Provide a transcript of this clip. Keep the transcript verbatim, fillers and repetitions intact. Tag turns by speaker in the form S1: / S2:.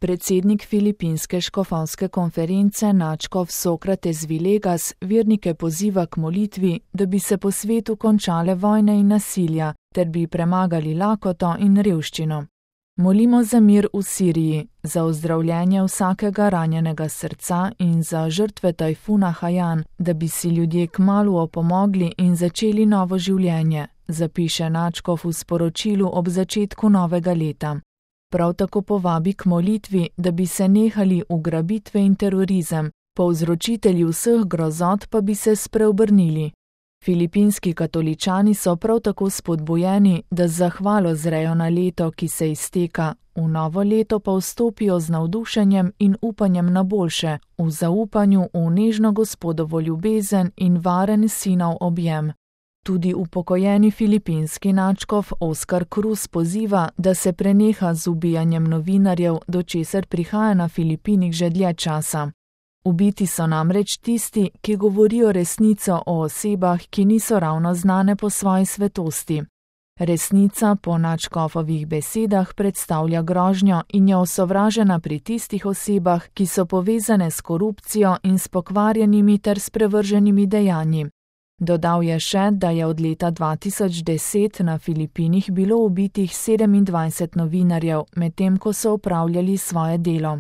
S1: Predsednik filipinske škofovske konference nadškof Sócrates Villegas vernike poziva k molitvi, da bi se po svetu končale vojne in nasilja, ter bi premagali lakoto in revščino. Molimo za mir v Siriji, za ozdravljenje vsakega ranjenega srca in za žrtve tajfuna Haiyan, da bi si ljudje kmalu opomogli in začeli novo življenje, zapiše nadškof v sporočilu ob začetku novega leta. Prav tako povabi k molitvi, da bi se nehali ugrabitve in terorizem, povzročitelji vseh grozot pa bi se spreobrnili. Filipinski katoličani so prav tako spodbujeni, da z zahvalo zrejo na leto, ki se izteka, v novo leto pa vstopijo z navdušenjem in upanjem na boljše, v zaupanju v nežno Gospodovo ljubezen in varen sinov objem. Tudi upokojeni filipinski nadškof Oscar Cruz poziva, da se preneha z ubijanjem novinarjev, do česar prihaja na Filipinih že dlje časa. Ubiti so namreč tisti, ki govorijo resnico o osebah, ki niso ravno znane po svoji svetosti. Resnica po nadškofovih besedah predstavlja grožnjo in je osovražena pri tistih osebah, ki so povezane s korupcijo in s pokvarjenimi ter sprevrženimi dejanji. Dodal je še, da je od leta dva tisoč deset na Filipinih bilo ubitih sedemindvajset novinarjev, medtem ko so opravljali svoje delo.